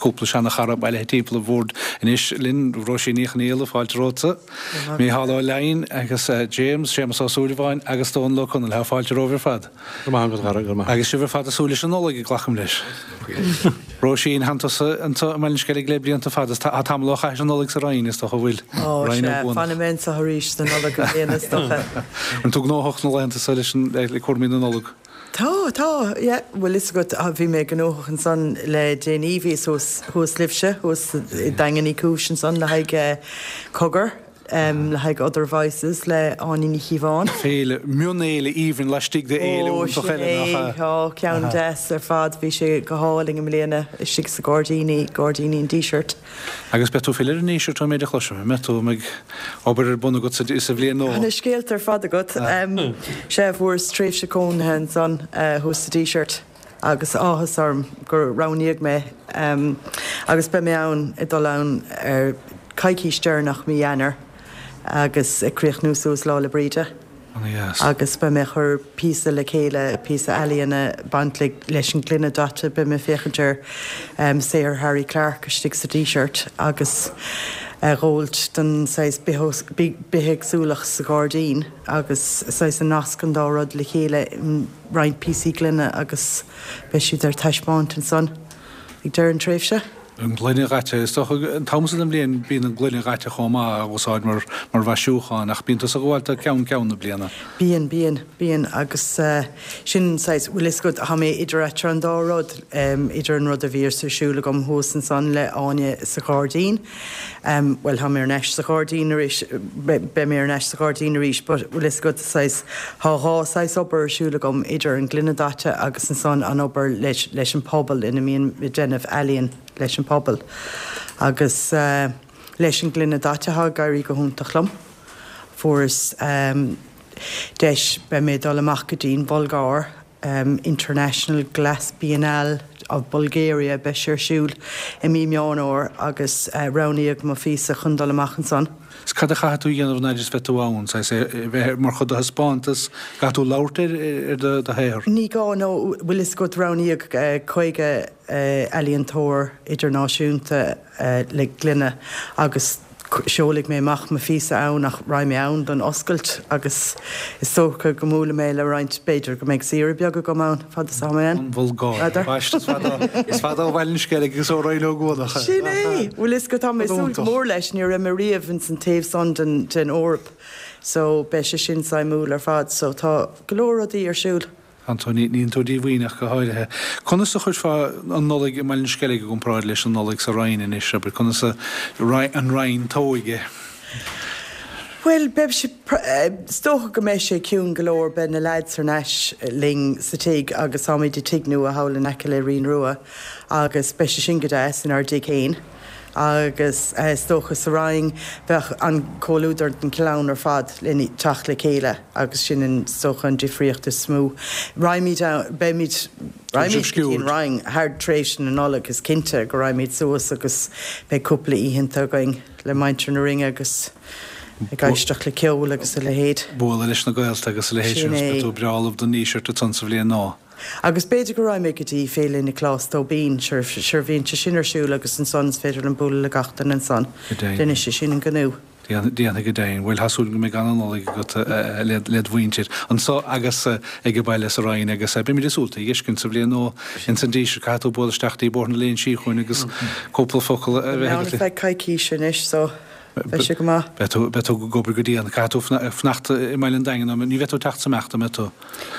cúpla seana-chara bailithe timpeall an bhoird anois linn, Róisín Ní Chonaola, fáilte romhatsa, Mícheál Ó Leidhin agus James, Séamus Ó Súilleabháin agus Dónal Ó Conaill. Tá fáilte romhaibh ar fad. Go raibh maith agat, a Dhara, go raibh maith. Agus sibh ar fad ag súil leis an Nollaig, glacaim leis. Róisín, thánn tusa anso i mBaile an Sceilg le blianta fada. Tá tamall ó chaithis an Nollaig sa Rinn, is dócha, an bhfuil? Ó, sea, fanfaidh mé anso arís don Nollaig i mbliana, is dócha. An tú gnóthach na laethanta seo leis an, le cúraimí na Nollag? Tá, tá, yeah. Bhfuil fhios agat, bhí mé gnóthach ansan le déanaí, bhíos thuas, thuas libhse, thuas i nDaingean Uí Chúis ansan le haghaidh Cogar. le haghaidh Other Voices le Áine Ní Chíobháin. Féile, mionfhéile aoibhinn laistigh de fhéile iontach eile, nach ea? Ó, ceann deas ar fad. Bhí sé go hálainn i mbliana, istigh sa gairdíní, gairdíní an Dísirt. Agus beidh tú ag filleadh ar an nDíseart ón méid a chloisim, an mbeidh tú? An mbeidh obair ar bun agat sa bhliain nua? Tá na scéalta ar fad agat. Sea, fuaireas tréimhse cónaithe ansan thuas sa Díseart. agus áthas orm gur roghnaíodh mé agus beidh mé ann, ag dul ann ar coicís deireanach mí Eanáir agus ag críochnú suas Lá 'le Bríde agus beidh mé ag cur píosa le chéile, píosa ealaíona ag baint leis an ngloine daite, beidh mé ag féachaint ar saothar Harry Clarke istigh sa Díseart agus a dhóilt don saghas bithéagsúlacht sa ghairdín agus saghas a nasc an dá rud le chéile. roinnt píosaí gloine agus beidh siad ar taispeáint ansan ag deireadh an tréimhse. An ghloine dhaite. Is dócha an t-am so den bhliain bíonn an gloine dhaite chomh maith á úsáid mar mar mhaisiúchán ach bíonn tusa ag gabháil do ceann ceann na bliana. Bíonn, bíonn, bíonn agus sin saghas, bhfuil fhios agat, tá mé idir eatarthu an dá rud, idir an rud a bhíos ar siúl agam thuas ansan le Áine sa ghairdín, Bhuel, tá mé ar ais sa ghairdín arís, beidh mé ar ais sa ghairdín arís, but bhfuil fhios agat, saghas, tá dhá saghas obair ar siúl agam, idir an gloine daite agus ansan an obair leis, leis an pobal ina mbím ag déanamh ealaíon leis an pobal. Agus leis an gloine daite, tá ag éirí go hiontach liom. Fuaireas deis, beidh mé ag dul amach go dtí an Bhulgáir, International Glass Biennale of Bulgaria, beidh sé ar siúl i mí Meán Fhómhair agus roghnaíodh mo phíosa chun dul amach ansan. 'S cad a chaithfidh tú a dhéanamh an fhaid is bheidh tú ann, saghas é bheith mar chuid de thaispeántas, caithfidh tú labhairt ar do shaothar? Ní gá, no, bhfuil fhios agat, roghnaíodh 50 ealaíontóir idirnáisiúnta le gloine agus seolfaidh mé amach mo phíosa ann ach raghaidh mé ann don oscailt agus is dócha go mbuailfidh mé le roinnt, b'fhéidir go mbeidh saoire beag agam ann fad is atá mé ann. An Bhulgáir. Baiste, is fada, is fada ó Bhaile an Sceilg agus ó Rinn Ó gCuanach. Sin é! Bhfuil fhios agat, tá mé ag súil go mór leis, ní raibh mé riamh ins an taobh san den, den Eoraip so beidh sé sin suimiúil ar fad so tá go leor rudaí ar siúl. Tá tú, níl tú díomhaoin ach go háirithe. Conas a chuirfeá an Nollaig i mBaile an Sceilg i gcomparáid leis an Nollaig sa Rinn anois, abair? Conas a, an Rinn tóigthe? Bhuel, beidh sé, is dócha go mbeidh sé ciúin go leor, beidh na leaids thar n-ais linn sa tigh agus táimid i dtigh nua thall in aice le Rinn Rua agus beidh sé sin go deas inár dtigh féin. Agus is dócha sa Rinn bheadh an comhluadar den chlann ar fad le teacht le chéile agus sin an, is dócha an difríocht is mó. Raghaimid ann, beimid, raghaimid go dtí an Rinn thar tréimhse na Nollag, is cinnte go raghaimid suas agus beidh cúpla oícheanta againn le muintir na Rinne agus ag éisteacht le ceol agus a leithéid. Bualadh leis na gaolta agus a leithéid sin Sin agus é. beidh tú breá ullamh don Díseart ansan sa bhliain nua. Agus b'fhéidir go raghaidh mé go dtí Féile Niocláis Tóibín, sure, sure bhíonn sé sin ar siúl agus ansan is féidir liom bualadh le gach duine ansan. Go deimhin. Déanfaidh sé sin an gnó. Déanfaidh go deimhin. Bhuel, tá súil go mbeidh ana-Nollaig agat led mhuintir anso agus ag an baile sa Rinn agus beimid ag súil tú a fheiscint sa bhliain nua ins an Díseart. Caithfidh tú bualadh isteach dtí Bóthar na Léinsí chugainn agus cúpla focal a Beidh bheith mé ann agat ar feadh coicíse anois so beidh sé go maith. Beidh tú, beidh tú ag obair go dian. Caithfidh tú fanacht i mBaile an Daingin, ní bheidh tú ag teacht is imeacht, an mbeidh tú?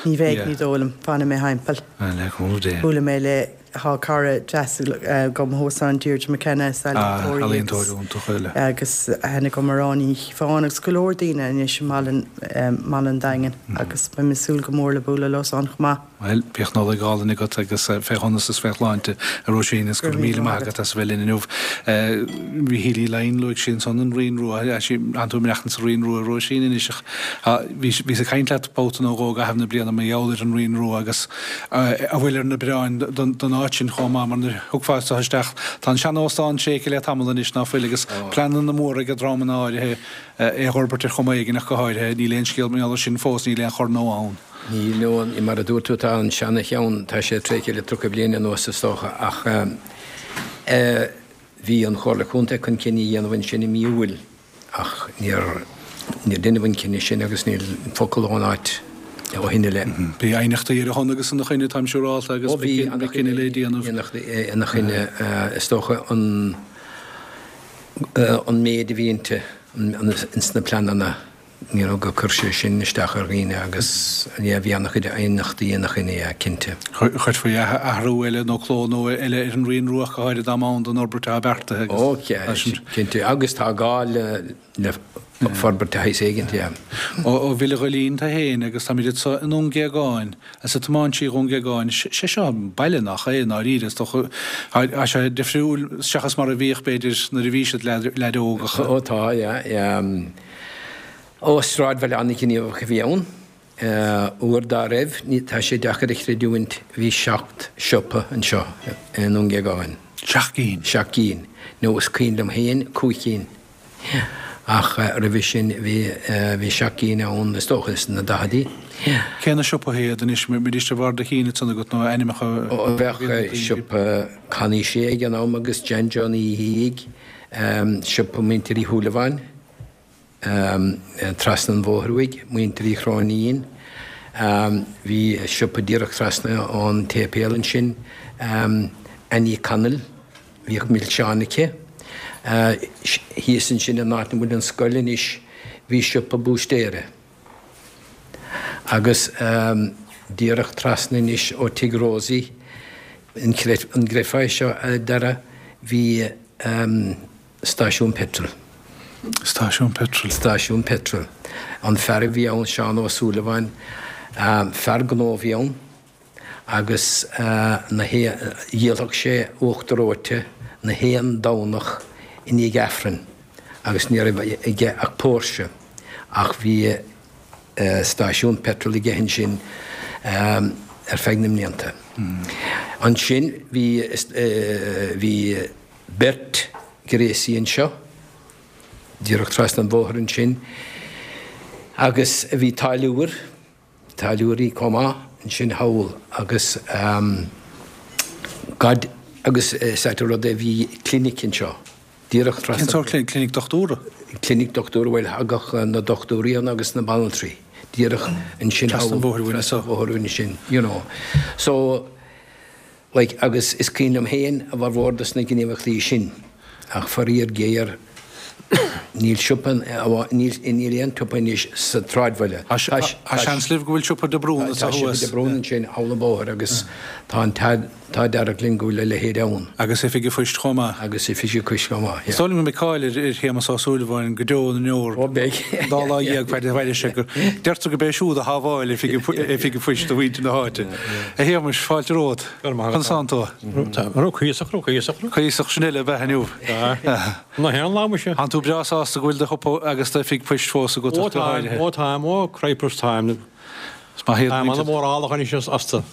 Ní bheidh, ní dóigh liom. Fanfaidh mé thimpeall. Le cúnamh Dé. Buailfidh mé le, tá cara deas agam thuas ann, Deirdre McKenna, is ealaíontóir í agus, iontach eile. agus aithne agam ar Áine Ní Chíobháin agus go leor daoine anois i mBaile an Daingin agus beidh mé ag súil go mór le bualadh leo san chomh maith. Bhuel, bíodh Nollaig álainn agat agus fé shonas is fé shláinte, a Róisín, is go raibh míle maith agat as a bheith linn inniu. Mhíchíl Uí Leighin, luaigh sí ansan an Rinn Rua, tánn tú ag maireachtaint sa Rinn Rua, a Róisín, anois ach bhíos ag caint leat babhta nó dhó i gcaitheamh na bliana mar gheall ar an Rinn Rua agus a bhfuil ar na bioráin don áit sin chomh maith, mar nuair a thiocfá anso isteach, tá an sean-óstán tréigthe le tamall anois, ná fuil, agus pleananna móra ag dreamanna áirithe é a dh'fhorbairt ar chuma éigin ach go háirithe, níl aon scéal mar gheall air sin fós, níl aon chor nó ann. Níl, no, mar a dúirt tú, tá an seana-cheann, tá sé tréigthe le 30 bliain anuas is dócha, ach. Bhí an Chomhairle Contae chun cinneadh a dhéanamh ansin i mí Iúil ach níor níor deineadh an cinneadh sin agus níl focal ón áit ó shin i leith. Bhí aighneachtaí ar a shon agus ina choinne, táim siúrálta, agus Ó bhí beidh cinneadh le déanamh. Aighneachtaí ina choinne, is dócha an an méid a bhí inti, ins na pleananna. You know, gur chuir sé sin isteach ar dhaoine agus, yeah, bhí an-chuid aighneachtaí ina choinne, yeah, cinnte. Chuirfí athrú eile nó cló nua eile ar an Rian Rua ach go háirithe dá mba ann don fhorbairt atá beartaithe agus. Ó, yeah, cinnte, agus tá gá le, le forbairt de shaghas éigint, yeah. Ó Bhile Ghoillín tú féin agus táimid anso i nDún Géagáin Is ag tiomáint trí Dhún Géagáin, sé seo baile nach é i ndáiríre, is dócha. Tá sé difriúil seachas mar a bhíodh, b'fhéidir, nuair a bhí siad leaid óg ach. Ó tá, yeah, yeah. Ó, sráidbhaile an-ghníomhach a bhí ann. Uair dá raibh, tá sé deacair a chreidiúint, bhí seacht siopa anseo i nDún Géagáin. Seacht gcinn? Seacht gcinn. Nó is cuimhin liom féin cúig cinn. Ach roimhe sin bhí, bhí seacht gcinn ann is dócha sna daicheadaí. Cé na siopaí iad anois, mbeidís ar bharr do chinn ansan agat nó ainmneacha a Ó bheadh siopa Connie Shea ag an am agus Jan John Uí Fhiaich, siopa Muintir Uí Shúilleabháin, trasna an bhóthair uaidh, Muintir Uí Chróinín, bhí siopa díreach trasna ón tséipéal ansin, Annie Connell. Bhíodh milseáin aici. Thíos ansin in áit ina bhfuil an scoil anois bhí siopa búistéara. Agus díreach trasna anois ó Tigh Rosie, an gcreidfeá é seo a Dhara, bhí stáisiún peitril. Stáisiún peitril. Stáisiún peitril. An fear a bhí ann, Seán Ó Súilleabháin, fear gnó a bhí ann. agus na dhíolfadh sé uachtar reoite na haon Domhnach i ndiaidh Aifrinn agus ní raibh aige ach Porsche ach bhí stáisiún peitril aige ansin ar feadh na mblianta. Ansin bhí bhí beirt ghréasaí anseo díreach trasna an bhóthair ansin agus bhí táilliúir táilliúirí chomh maith ansin thall agus God agus is ait an rud é bhí clinic anseo díreach trasna. Cén sórt clinic? Clinic dochtúra? Clinic dochtúra, bhuel thagadh na dochtúirí ann agus na banaltraí díreach ansin thall. Trasna an bhóthair uainn anso. Trasna an bhóthair uainn ansin, you know. So. Like, agus is cuimhin liom féin a bhformhór dos na gníomhachtaí sin, ach faraor géar, níl siopa, níl, níl aon tsiopa anois sa tsráidbhaile. Tá seans libh go bhfuil siopa De Brún anso thuas. Tá siopa De Brún ansin thall an bóthar agus tá an t-ádh dearg linn go bhfuil a leithéid ann. Agus oifig an phoist chomh maith. Agus oifig an phoist chomh maith, yeah. Is dóigh liom go mbeidh cáil ar Shéamus Ó Súilleabháin go deo na ndeor. Ó beidh. An dá lá dhéag faid a mhairfidh sé gur, deirtear gurb é siúd a shábháil oifig an phoist do mhuintir na háite. A Shéamais, fáilte romhat. Go raibh maith agat. Conas tánn tú? Tá, cuíosach, cuíosach. Cuíosach, sin uile, ab ea inniu? Tá. Nach aon lá muise. Tánn tú breá sásta go bhfuil do shiopa agus d'oifig poist fós agat ach go háirithe. Ó táim, ó cripers táim. Is maith iad. Táim an-mhórálach anois astu.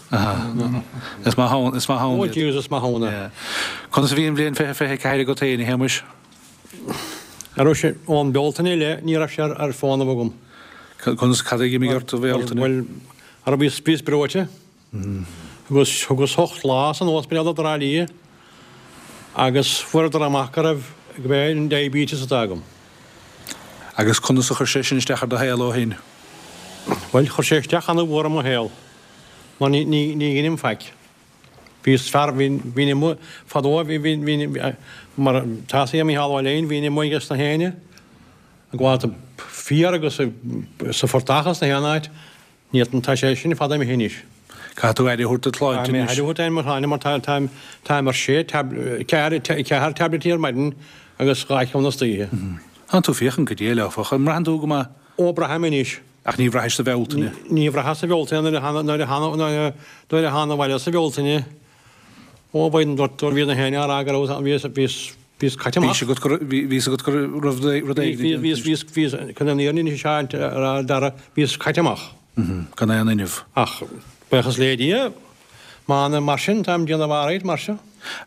Is maith ann, is maith ann iad. Ó Jesus, is maith ann é. Conas a bhí an bhliain 2024 agat féin, a Shéamais? Ar raibh sé, ón Bealtaine i leith, ní raibh sé ar fónamh agam. Conas, cad a d'imigh ort i mBealtaine? Bhuel, ara bhíos, bhíos breoite. Agus thugas ocht lá san ospidéal i dTrá Lí agus fuaireadar amach go raibh, go b'é an diabetes atá agam. Agus conas a chuir sé sin isteach ar do shaol ó shin? Bhuel, chuir sé isteach ana-mhór ar mo shaol, mar ní, ní, ní dheinim faic. Bhíos fear, bhí, bhínn amuigh, fadó, bhí, bhí, bhí, mar tá a fhios ag Mícheál Ó Leidhin, bhínn amuigh ages na héinne, ag gabháil féir agus sa phortach agus na haon áit. Níl, tá sé sin fada imithe anois. Caithfidh tú aire a thabhairt do shláinte anois. Caithfidh mé aire a thabhairt ar mo shláinte mar tá, táim, táim ar sé tab, ceathair, ceathair taibléidí ar maidin agus dhá cheann istoíche. Tánn tú féachaint go diail, áfach. An mbraitheann tú go maith? Ó, braithim anois. Ach ní bhraithis sa Bhealtaine? Ní bhraitheas sa Bhealtaine nuair a thána, nuair a thána, nuair a, nuair a thána abhaile sa Bhealtaine. Ó, bhí an dochtúir, bhí na héinne á rá go raibh, bhíos, bhíos, bhíos caite amach. Bhí agat go, bhí fhios agat go raibh rud éigin déanta. Bhí, bhíos, bhíos, chun an fhírinne is ea a Dhara, bhíos caite amach. Gan aon fhuinneamh. Ach, buíochas le Dia, m'anam mar sin, táim déanamh alright mar seo.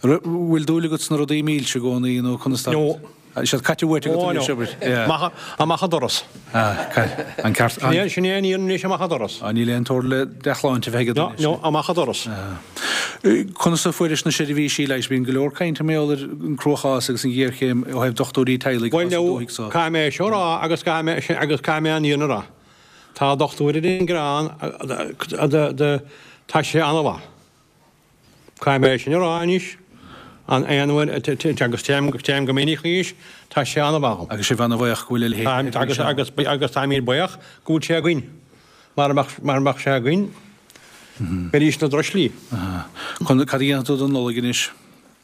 Bhfuil dúil agat sna rudaí milse i gcónaí nó conas tá? No. Tá siad caite uait agat anois, abair. Amach, amach an doras. An ceart. Sin é an fhírinne anois, amach an doras. Níl aon tóir le dea-shláinte a bheith agat anois. No, no, amach an doras. Conas a fuairis na seirbhísí leighis? Bíonn go leor cainte mar gheall ar an cruachás agus an ghéarchéim ó thaobh dochtúirí teaghlaigh atá sa dúthaigh so. Bhuel, caithfidh mé é seo a rá agus caithfidh mé agus caithfidh mé an fhírinne a rá. Tá dochtúir ar an gCrann, tá sé an-mhaith. Caithfidh mé é sin a rá anois, an aon uair agus téim téim go minic chuige, tá sé an-mhaith dhom. Agus sibh an-bhuíoch go bhfuil a leithéid de sheirbhís ann. Agus agus táimid buíoch go bhfuil sé againn. Mara mbeadh mara mbeadh sé againn, bheidís ina dtruislí. Cad a dhéanfaidh tú don Nollaig anois?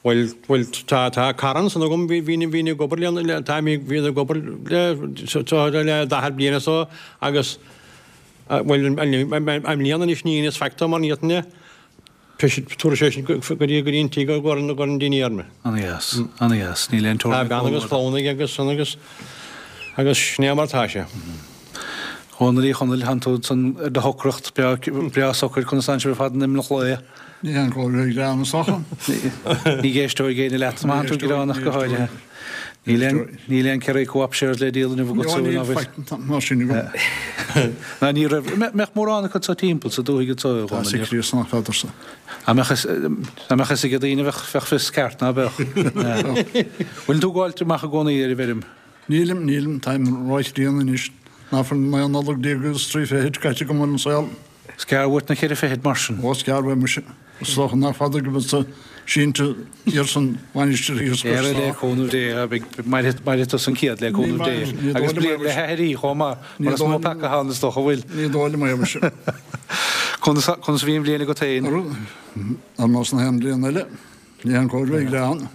Bhuel, bhuel, tá, tá cara ansan agam, bhí, bhí, bhínn ag obair le, le, tá, bhí, bhíos ag obair le, so, le 40 bliain or so agus, bhuel, i mbliana anois ní dheineas faic dó mar ní fhéadfainn é, tabharfaidh sé sin go dtí, go dtí an tigh go gcuireann, go gcuireann dinnéar mé. Ana-dheas, ana-dheas, níl aon teorainn Tá bean agus clann aige agus san agus, agus sin é mar atá sé. A Dhónaill Uí Chonaill, tánn tú ansan ar do shocracht, breá socair, conas tánn sibh ar fad in Imleach Lao? Ní haon chóir bheith greannach is dócha. Ní éisteoidh éinne leat má thánn tú greannach go háirithe. Níl aon, níl aon Kerry Co-op shares le díol inniu agat ná bhfuil? Níl faic mar sin agam. Ná ní raibh, mbeadh mórán acu so timpeall sa dúthaigh anso, a Dhónaill? Tá Críost nach bhfeadarsa. Dá mbeadh fhios, dá mbeadh fhios ag daoine bheadh, bheadh fios ceart, ná beadh? Bhfuil tú ag gabháilt amach i gcónaí ar an bhfeirm? Nílim, nílim, táim róchríonna anois. Ná fuil 19 Nollag agus trí fichid caite agam ar an saol. Is gearr uait na ceithre fichid mar sin. Ó, is gearr uaim muise. Is dócha nach fada go mbeadsa sínte thiar san mhainistir thíos cois trá. Le cúnamh Dé, beidh, mairfidh tusa an céad le cúnamh Dé. Agus bliain le haithrí chomh maith, mar is mó peaca atá ann is dócha, an bhfuil? Ní dóigh liom é muise. Conas a bhí an bhliain agat féin? Ar nós na haon bhliain eile. Ní haon chóir bheith greannach.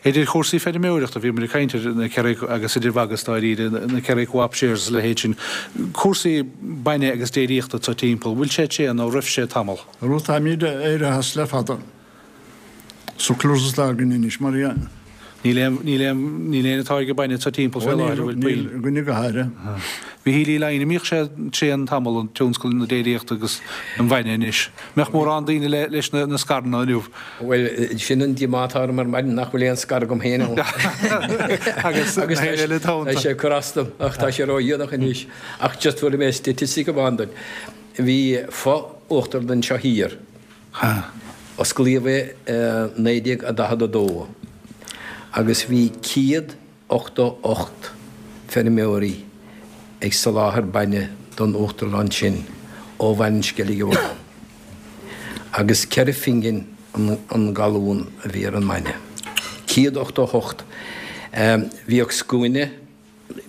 Idir chúrsaí feirmeoireachta, bhíomar ag caint ar na Kerry agus idir mhagadh is dáiríre, na Kerry Co-op shares is a leithéid sin, cúrsaí bainne agus déiríochta anso timpeall, bhfuil sé tréan nó raibh sé tamall? Arú táimid éirithe as le fada. Surplus atá againn anois mar dhea. Níl aon, níl aon, níl aon atáirgeadh bainne anso timpeall fé láthair, an bhfuil puinn? Níl againne go háirithe. Mhichíl Uí Laighin, an mbíodh sé tréan tamall, an tionscal na déiríochta agus an bhainne anois? Mbeadh mórán daoine le, leis na, na scaireanna inniu? Bhuel, sin an díomá atá orm ar maidin, nach bhfuil aon scair agam féin ann. Agus na héinne eile atá ann. Tá sé ag cur as dom, ach tá sé ródhéanach anois. Ach just tabharfaidh mé staitistic amháin duit. Bhí fo-uachtarlann anseo thiar. Osclaíodh é i 1942 agus bhí 188 feirmeoirí ag soláthar bainne don uachtarlann sin ó Bhaile an Sceilg amháin agus ceithre phingin an galún a bhí ar an mbainne. 188. Bhíodh scuaine.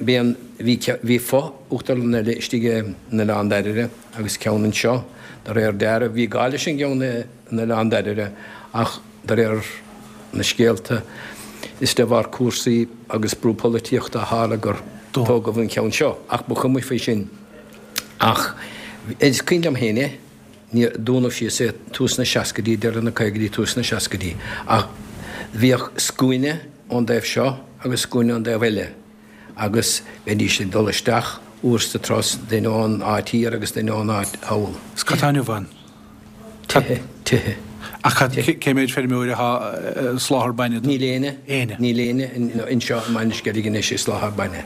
Bhí an, bhí, bhí fo-uachtarlann eile istigh in Oileán Dairbhre agus ceann anseo, de réir dealraimh. Bhí gá leis an gceann in Oileán Dairbhre ach de réir na scéalta is de bharr cúrsaí agus brú polaitíochta a tharla gur tógadh an ceann seo. Ach ba chuma faoi sin. Ach is cuimhin liom féin é, níor, dúnadh síos é tús na seascaidí, deireadh na caogaidí, tús na seascaidí. Ach bhíodh scuaine ón dtaobh seo agus scuaine ón dtaobh eile agus bheidís ag dul isteach uair sa turas, duine ón áit thiar agus duine ón áit thall. Is cad tá inniu ann? Tithe, tithe. Ach cad, cé méid feirmeoir atá ag soláthar bainne do? Níl éinne. Éinne. Níl éinne anseo i mBaile an Sceilg anois ag soláthar bainne.